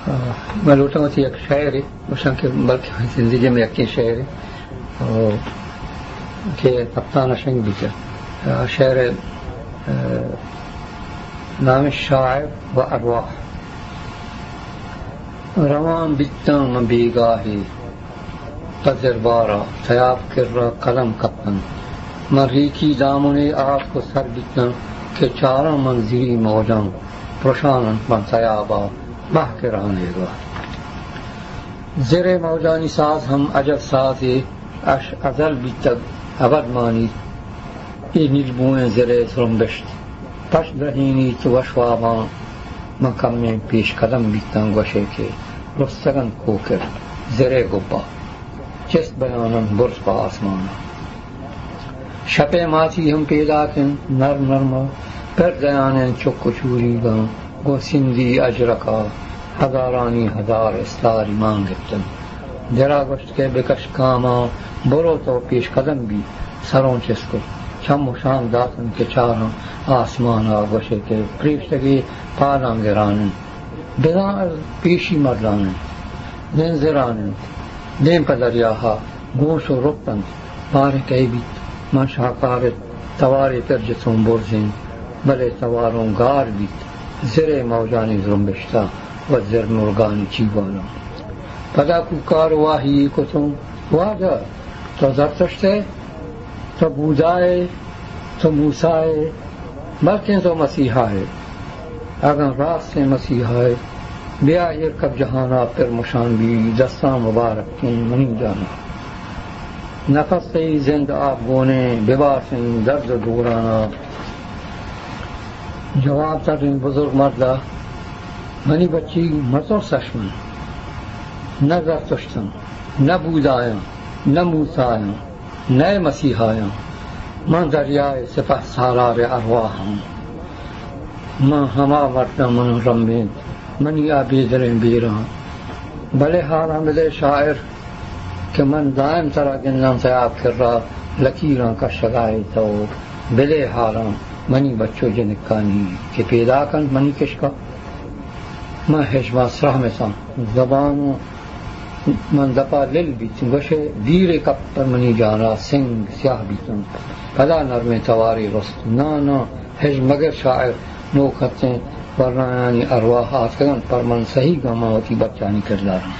آ، من لوٹاں وتی یک شعرے گوشاں کہ بلکہ زندگی میں یکیں شعرے، آ، کہ کپتان ءَ شنگ بیت۔ آ، شعر، آ، نام شاعر و ارواح۔ روان بیتاں من بیگاہے، پہ زربارا تیاب کرا قدم کپتن۔ من ریکی دامنے آتک و سر بیتن کہ چاراں من زیری موجاں پرشان انت من تیابا، بہکرانیگا۔ زرے موجانی ساز ہم عجب سازے، اش ازل بیتگ ابد مانیت۔ اے نیلبوئیں زرے زرمبشت پش درہینیت وش واباں۔ من کمیں پیش قدم بیتاں گوشے کہ رستگ انت کوکر زرے گبا، چست بیان انت برز پہ آسمانا۔ شپے ماتی ہم پیداک انت نرم نرما، پر دیان انت چک و چوریگاں گوں سندی اجرکا، ہزارانی ہزار استاری مان گپتن۔ درا گوشت کہ بکش گاماں، برو تو پیش قدم بی۔ سروں چست کت، چم و شانک داتن کہ چاراں آسمانا گوشے کہ پریشتگے پاداں گران انت۔ بزاں از پیشی مردان انت، دیم زران انت، دیم پہ دریاہا گوش و رپت انت۔ باریں کئے بیت، من شاکار ات، توارے پر جتوں برزیں، بلے تواروں گار بیت، زرے موجانی زرمبشتا و زر مرگانی چیوانا۔ پدا کوکار واہی کتوں، واجہ، تو زرتشت ئے؟ تو بودا ئے؟ تو موسیٰ ئے؟ بلکیں تو مسیحا ئے۔ اگاں راستیں مسیحا ئے، بیا ایر کپ جہانا پر مشان بی، دستاں مبارک کن منی جانا۔ نفس تئی زند آپ گونیں، بباسیں درد و دورانا۔ جواب تریں بزرگ مردا، منی بچی مترس اش من۔ نہ زرتشتم، نہ بودایاں، نہ موسیٰ آیاں، نئے مسیحایاں، من دریائے سپہ سالار ارواحاں۔ من ہما مردم من رمبیں، منی آ بیدریں بیراں۔ بلے حالاں بدے شاعر کہ من دائم ترا گنداں تیاب کرا لکیراں کشگائے تو۔ بدے حالاں منی بچو جنکانی کہ پیداک انت منی کشکا۔ من ہژماں سرہمتاں، زبان من دپا لل بیت، گوشے دیرے کپت پر منی جانا سنگ سیاہ بیتن۔ پدا نرمیں توارے رست، نا نا، ہژ مگر شاعر، نوک ہتیں ورنایانی ارواح آتکگن پر من سہی گماں وتی بچانی کرداراں۔